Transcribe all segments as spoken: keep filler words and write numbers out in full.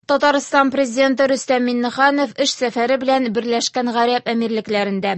Татарстан президенты Рөстәм Миңнеханов эш сәфәре белән Берләшкән Гарәп Әмирлекләрендә.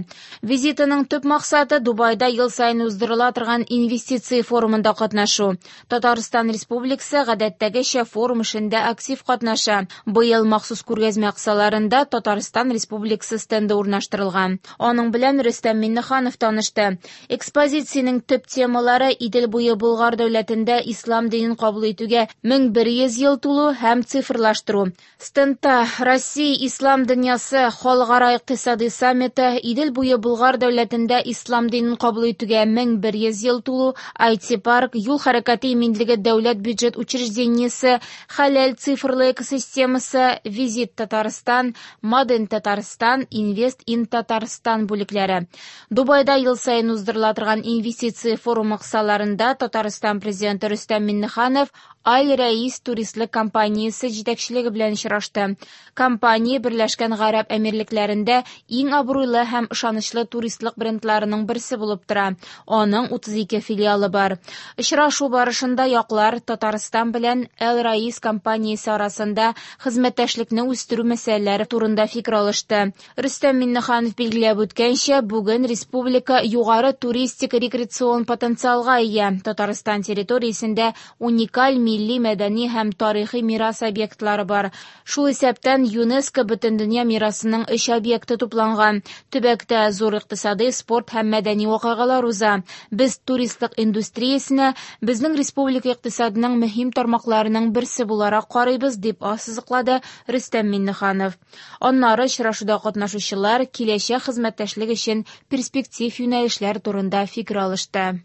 Визитының төп максаты Дубайда ел саен уздырыла торган инвестиция форумында катнашу. Татарстан Республикасы гадәттәгечә форум эшендә актив катнаша. Быел махсус күргәзмә кысаларында Татарстан Республикасы стенды урнаштырылган. Аның белән Рөстәм Миңнеханов танышты. Экспозициянең төп темалары Идел буе Болгар дәүләтендә ислам динен кабул итүгә мең бер йөз ел тулу һәм цифрлаштыру. Стендта Россия Ислам дөньясы халыкара икътисади саммиты, Идел буе Болгар дәүләтендә ислам динен кабул итүгә мең бер йөз ел тулу, ай ти-парк, юл хәрәкәте иминлеге дәүләт бюджет учреждениесе, хәләл цифрлы экосистемасы, Визит Татарстан, Маден Татарстан, Инвест ин Татарстан бүлекләре. Дубайда ел саен уздырыла торган инвестиция форумы кысаларында Татарстан президенты Рөстәм Миңнеханов Аль-Раис туристлык компаниясе җитәкчелеге белән очрашты. Компания Берләшкән Гарәп Әмирлекләрендә иң абруйлы һәм ышанычлы туристлык брендларының берсе булып тора. Аның утыз ике филиалы бар. Очрашу барышында яклар Татарстан белән Аль-Раис компаниясе арасында хезмәттәшлекне үстерү мәсьәләләре турында фикер алышты. Рөстәм Миңнеханов билгеләп үткәнчә, бүген республика югары туристик рекреацион потенциалга ия. Татарстан территориясендә уникаль милли мәдәни һәм тарихи мирас объектлары бар. Шул исәптән ЮНЕСКО Бөтендөнья мирасының өч объекты тупланган. Төбәктә зур икътисади, спорт һәм мәдәни вакыйгалар уза. Без туристлык индустриясенә безнең республика икътисадының мөһим тармакларының берсе буларак карыйбыз, дип ассызыклады Рөстәм Миңнеханов. Аннары очрашуда катнашучылар киләчәк хезмәттәшлек өчен перспектив юнәлешләр турында фикер алышты.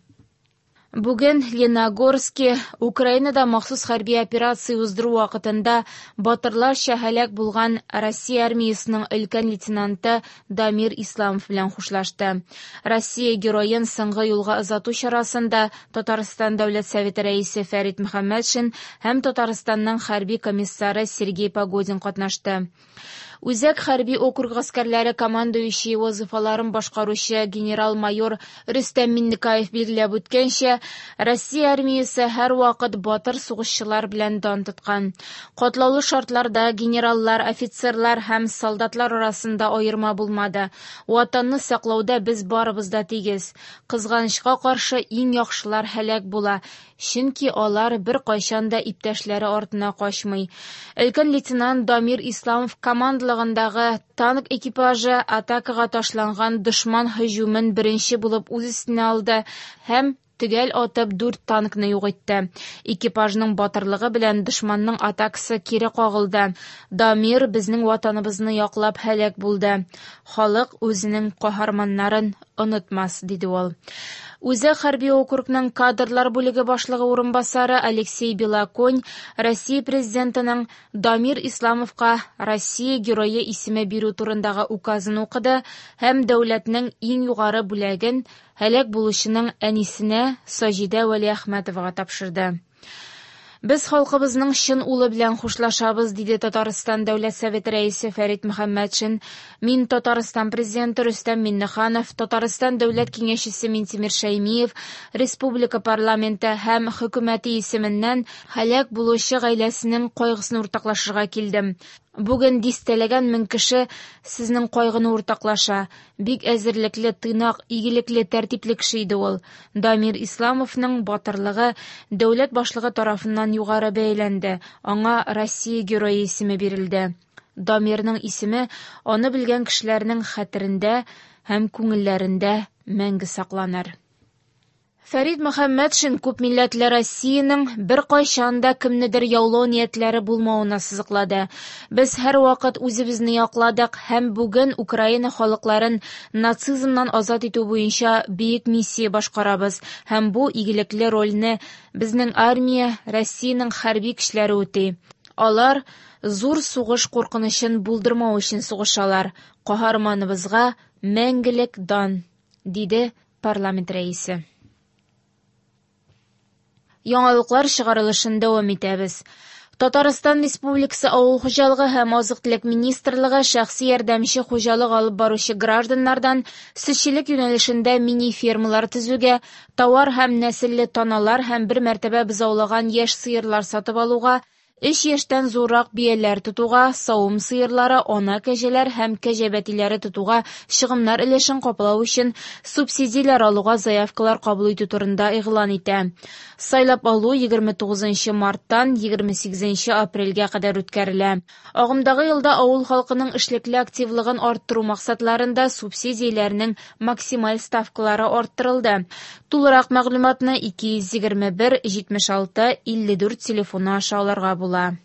Бүген Леногорске Украинада махсус хәрби операция уздыру вакытында батырларча һәлак булган Россия армиясының өлкән лейтенанты Дамир Исламов белән хушлашты. Россия героен соңгы юлга озату чарасында Татарстан Дәүләт Советы рәисе Фәрит Мөхәммәтшин һәм Татарстанның хәрби комиссары Сергей Погодин катнашты. Үзәк хәрби округ гаскәрләре командующий вазифаларын башкаручы генерал-майор Рөстәм Миннекаев билгеләп үткәнчә, Россия армиясе һәрвакыт батыр сугышчылар белән дан тоткан. Катлаулы шартларда генераллар, офицерлар һәм солдатлар арасында аерма булмады. Ватанны саклауда без барыбыз да тигез. Кызганычка каршы иң яхшылар һәлак була, чөнки алар бер кайчан да иптәшләре артына качмый. Өлкән лейтенант Дамир Исламов командалыгындагы танк экипажы атакага ташланган дошман һөҗүмен беренче булып үз өстенә алды һәм төгәл атып дүрт танкны юк итте. Экипажның батырлыгы белән дошманның атакасы кире кагылды. Дамир безнең ватаныбызны яклап һәлак булды. Халык үзенең каһарманнарын онытмас, диде ул. Үзәк хәрби округның кадрлар бүлеге башлыгы урынбасары Алексей Белоконь Россия президентының Дамир Исламовка Россия герое исеме бирү турындагы указын укыды һәм дәүләтнең иң югары бүләген һәлак булучының әнисенә Саҗидә Вәлиәхмәтовага тапшырды. Без халкыбызның чын улы белән хушлашабыз, диде Татарстан Дәүләт Советы рәисе Фәрит Мөхәммәтшин. Мин Татарстан президенты Рөстәм Миңнеханов, Татарстан Дәүләт Киңәшчесе Минтимер Шәймиев, Республика парламенты һәм хөкүмәте исеменнән һәлак булучы гаиләсенең кайгысын уртаклашырга килдем. Бүген дистәләгән мең кеше сезнең кайгыны уртаклаша. Бик әзерлекле, тыйнак, игелекле, тәртипле кеше иде ул. Дамир Исламовның батырлыгы дәүләт башлыгы тарафыннан югары бәяләнде. Аңа Россия герое исеме бирелде. Дамирның исеме аны белгән кешеләрнең хәтерендә һәм күңелләрендә мәңге сакланыр. Фәрит Мөхәммәтшин күп милләтле Россиянең бер кайчан да кемнедер яулау ниятләре булмавын ассызыклады. Без һәрвакыт үзебезне якладык һәм бүген Украина халыкларын нацизмнан азат итү буенча бөек миссия башкарабыз һәм бу игелекле рольне безнең армия, Россиянең хәрби көчләре үти. Алар зур сугыш куркынычын булдырмау өчен сугышалар. Каһарманыбызга мәңгелек дан, диде парламент рәисе. Яңалыклар чыгарылышын дәвам итәбез. Татарстан Республикасы Авыл хуҗалыгы һәм азык-төлек министрлыгы шәхси ярдәмче хуҗалык алып баручы гражданнардан сөтчелек юнәлешендә мини-фермалар төзүгә, товар һәм нәселле таналар һәм бер мәртәбә бозаулаган яшь сыерлар сатып алуга Өч яшьтән зуррак бияләр тотуга, савым сыерлары, ана кәҗәләр һәм кәҗә бәтиләре тотуга чыгымнар өлешен каплау өчен субсидияләр алуга заявкалар кабул итү турында игълан итә. Сайлап алу егерме тугызынчы марттан егерме сигезенче апрельгә кадәр үткәрелә. Агымдагы елда авыл халкының эшлекле активлыгын арттыру максатларында субсидияләрнең максималь ставкалары арттырылды. Тулырак мәгълүматны ике йөз егерме бер җитмеш алты илле дүрт телефоны аша алырга була.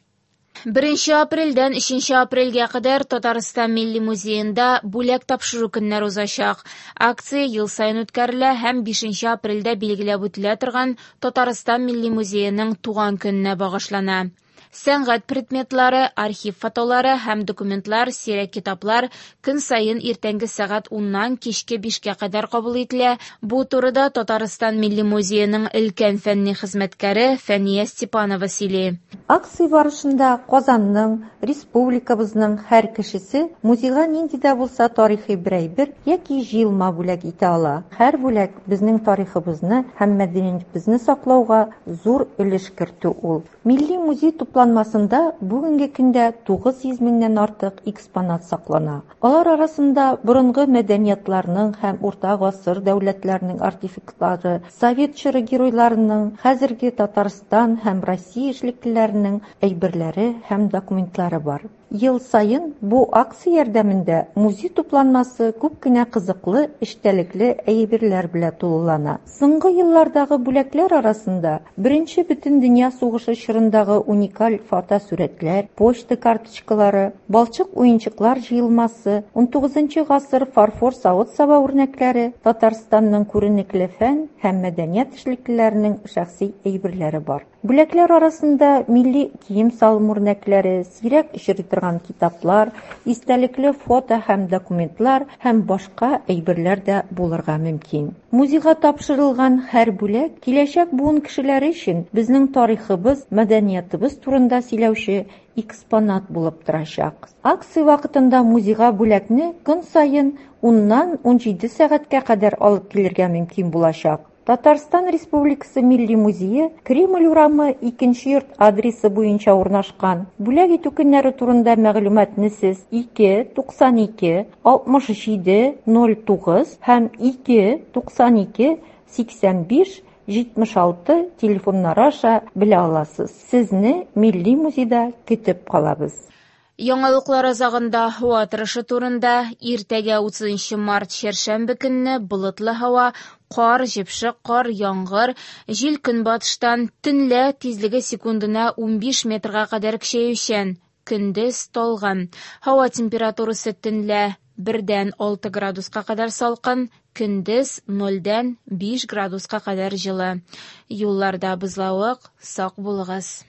Беренче апрельдән өченче апрельгә кадәр Татарстан Милли музеенда бүләк тапшыру көннәре узачак. Акция ел саен үткәрелә һәм бишенче апрельдә билгеләп үтелә торган Татарстан Милли музееның туган көненә багышлана. Сәнгать предметлары, архив фотолары һәм документлар, сирәк китаплар көн саен иртәнге сәгать уннан кичке бишкә кадәр кабул ителә. Бу турыда Татарстан Милли музееның өлкән фәнни хезмәткәре Фәния Степанова сөйли. Акция барышында Казанның, республикабызның һәр кешесе музейга нинди дә булса тарихи бер әйбер яки җыелма бүләк итә ала. Һәр бүләк безнең тарихыбызны һәм мәдәниятебезне саклауга зур өлеш кертү ул. Милли музей тупланмасында бүгенге көндә тугыз йөз меңнән артык экспонат саклана. Алар арасында борынгы мәдәниятларның һәм урта гасыр дәүләтләренең артефактлары, совет чоры геройларының, хәзерге Татарстан һәм Россия эшлеклеләренең әйберләре һәм документлары бар. Ел саен бу акция ярдәмендә музей тупланмасы күп кенә кызыклы, эчтәлекле әйберләр белән тулылана. Соңгы еллардагы бүләкләр арасында Беренче бөтендөнья сугышы чорындагы уникаль фотосурәтләр, почта карточкалары, балчык уенчыклар җыелмасы, унтугызынчы гасыр фарфор савыт-саба үрнәкләре, Татарстанның күренекле фән һәм мәдәният эшлеклеләренең шәхси әйберләре бар. Бүләкләр арасында милли кием-салым үрнәкләре, сирәк очрый торган китаплар, истәлекле фото һәм документлар һәм башка әйберләр дә булырга мөмкин. Музейга тапшырылган һәр бүләк киләчәк буын кешеләре өчен безнең тарихыбыз, мәдәниятыбыз турында сөйләүче экспонат булып торачак. Акция вакытында музейга бүләкне көн саен уннан унҗиде сәгатькә кадәр алып килергә мөмкин булачак. Татарстан Республикасы Милли музее Кремль урамы икенче йорт адресы буенча урнашкан. Бүләк итү көннәре турында мәгълүматны сез ике туксан ике алтмыш җиде ноль тугыз һәм ике туксан ике сиксән биш җитмеш алты телефоннары аша белә аласыз. Сезне Милли музейда көтеп калабыз. Яңалыклар азагында һава торышы турында. Иртәгә утызынчы март чәршәмбе көнне болытлы һава, кар, җепшек кар, яңгыр, җил көнбатыштан, төнлә тизлеге секундына унбиш метрга кадәр көчәючән, көндез талгын. Һава температурасы төнлә бердән алты градуска кадәр салкын, көндез нольдән биш градуска кадәр җылы. Юлларда бозлавык, сак булыгыз.